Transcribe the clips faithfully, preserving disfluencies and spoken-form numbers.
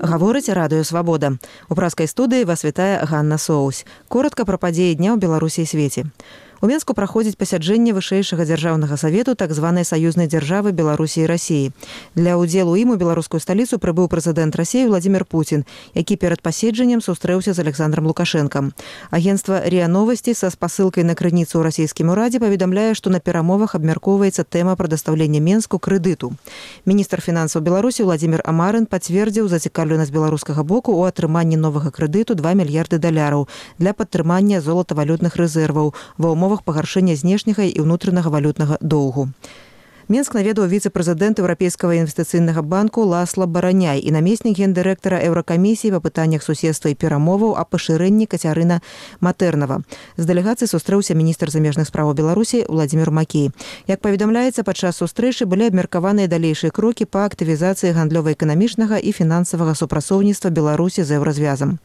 Гаворыць радыё «Свабода». У праскай студыі вас вітае Ганна Соусь. Коротка пра падзеі дня ў Беларусі і свеце. У Менску праходзіць пасяджэнне вышэйшага дзяржаўнага савету так званай саюзнай дзяржавы Беларусі і Расіі. Для ўдзелу ім у беларускую сталіцу прыбыў прэзідэнт Расіі Владзімір Пуцін, які перад паседжаннем сустрэўся з Александром Лукашэнкам. Агенцтва РИА Новости са спасылкай на крыніцу ў расійскім урадзе паведамляе, што на перамовах абмяркоўваецца тэма прадастаўлення Менску крэдыту. Міністр фінансаў Беларусі Владзімір Амарын пацвердзіў зацікаўленасць беларускага боку ў атрыманні новага крэдыту два мільярды даляраў для падтрымання золатавалютных рэзерваў ва ўмовах пагаршэння знешняга і ўнутранага валютнага доўгу. Менск наведаў віцэ-прэзідэнт Еўрапейскага інвестыцыйнага банку Ласла Бараняй і намеснік гендырэктара Еўракамісіі па пытаннях суседства і перамоваў о пашырэнні Кацярына Матэрнава. З дэлегацыяй сустрэўся міністр замежных справаў Беларусі Владзімір Макей. Як паведамляецца, падчас сустрэчы былі абмеркаваныя далейшыя крокі па актывізацыі гандлёва-эканамічнага і фінансавага супрацоўніцтва Беларусі з еўразвязам.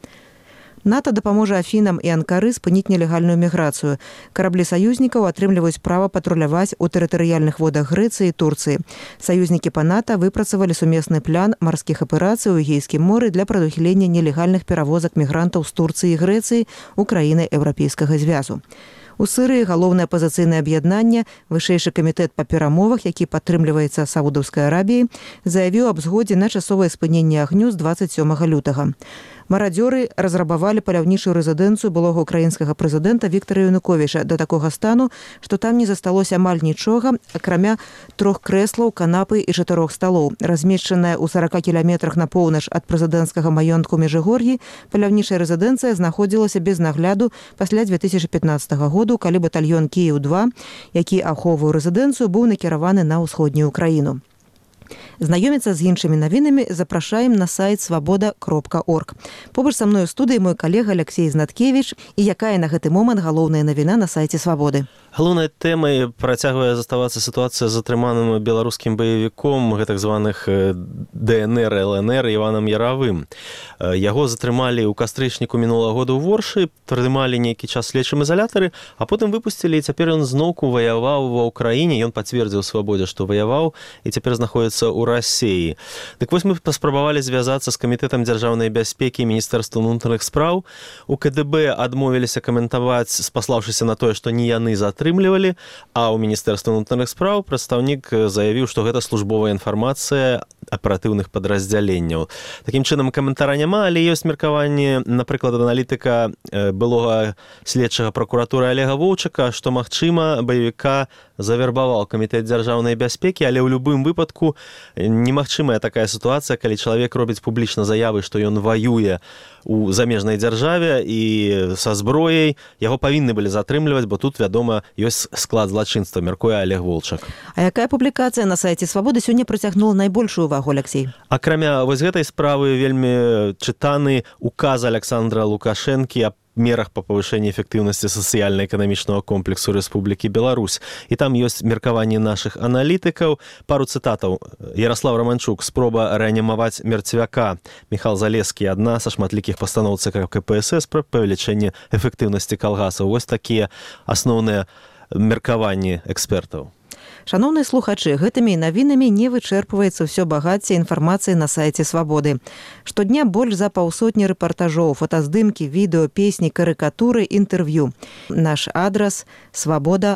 НАТО дапаможа Афінам і Анкары спыніць нелегальную міграцыю. Караблі саюзнікаў атрымліваюць права патруляваць у тэрытарыяльных водах Грэцыі і Турцыі. Саюзнікі па НАТО выпрацавалі сумесны план марскіх аперацый у Эгейскім моры для прадухілення нелегальных перавозак мігрантаў з Турцыі і Грэцыі ў краіны Еўрапейскага звязу. У Сырыі галоўнае апазіцыйнае аб'яднанне, вышэйшы камітэт па перамовах, які падтрымліваецца Саудаўскай Арабіяй, заявіў аб згодзе на часовае спыненне агню з дваццаць сёмага лютага. Марадзёры разрабавалі паляўнічую рэзідэнцыю былога украінскага прэзідэнта Віктара Януковіча да такога стану, што там не засталося амаль нічога, акрамя трох крэслаў, канапы і чатырох сталоў. Размешчаная ў сарака кіламетрах на поўнач ад прэзідэнцкага маёнтку Межыгор'і, паляўнічая рэзідэнцыя знаходзілася без нагляду пасля дзве тысячы пятнаццатага году, калі батальён Кіеў два, які ахоўваў рэзідэнцыю, быў накіраваны на ўсходнюю Украіну. Знаёміцца з іншымі навінамі запрашаем на сайт свабода кропка орг. Побач са мной у студыі мой калега Алексей Знаткевіч. І якая на гэты момант галоўная навіна на сайце «Свабоды»? Галоўнай тэмай працягвае заставацца сітуацыя з затрыманым беларускім баевіком гэтак званых ДНР, ЛНР Іванам Яравым. Яго затрымалі ў кастрычніку мінулага года ў Воршы, трымалі нейкі час следчым ізалятары, а потым выпусцілі, і цяпер ён зноўку ваяваў ва ўкраіне. Ён пацвердзіў «Свабодзе», што ваяваў, і цяпер знаходзіцца ў Расіі. Дык вось мы паспрабавалі звязацца з камітэтам дзяржаўнай бяспекі і міністэрства ўнутраных спраў. У КДБ адмовіліся каментаваць, спаслаўшыся на тое, што не яны затрымлівалі, а ў міністэрства ўнутраных спраў прадстаўнік заявіў, што гэта службовая інфармацыя аператыўных падраздзяленняў. Такім чынам, каментара няма, але ёсць меркаванне, напрыклад, аналітыка былога следчага пракуратуры Олега Воўчака, што, магчыма, баевіка завербаваў камітэт дзяржаўнай бяспекі, але ў любым выпадку немагчымая такая сітуацыя, калі чалавек робіць публічна заявы, што ён ваюе у замежнай дзяржаве і са зброяй, яго павінны былі затрымліваць, бо тут, вядома, ёсць склад злачынства, мяркуе Олег Волчак. А якая публікацыя на сайце «Свабоды» сёння прыцягнула найбольшую увагу, Алексей? Акрамя вось гэтай справы вельмі чытаны указ Александра Лукашэнкі аб мерах па павышэнні эфектыўнасці сацыяльна-эканамічнага комплексу Рэспублікі Беларусь. І там ёсць меркаванні нашых аналітыкаў. Пару цытатаў. Ярослав Романчук. Спроба рэанімаваць мерцвяка. Міхал Залескі. Адна са шматлікіх пастаноў ЦК КПСС пра павелічэнне эфектыўнасці калгасаў. Вось такія асноўныя меркаванні экспертаў. Шановныя слухачы, гэтымі навінамі не вычэрпваецца ўсё багацце інфармацыі на сайце «Свабоды». Штодня больш за паўсотні рэпартажоў, фотаздымкі, відэо, песні, карыкатуры, інтэрв'ю. Наш адрас – свабода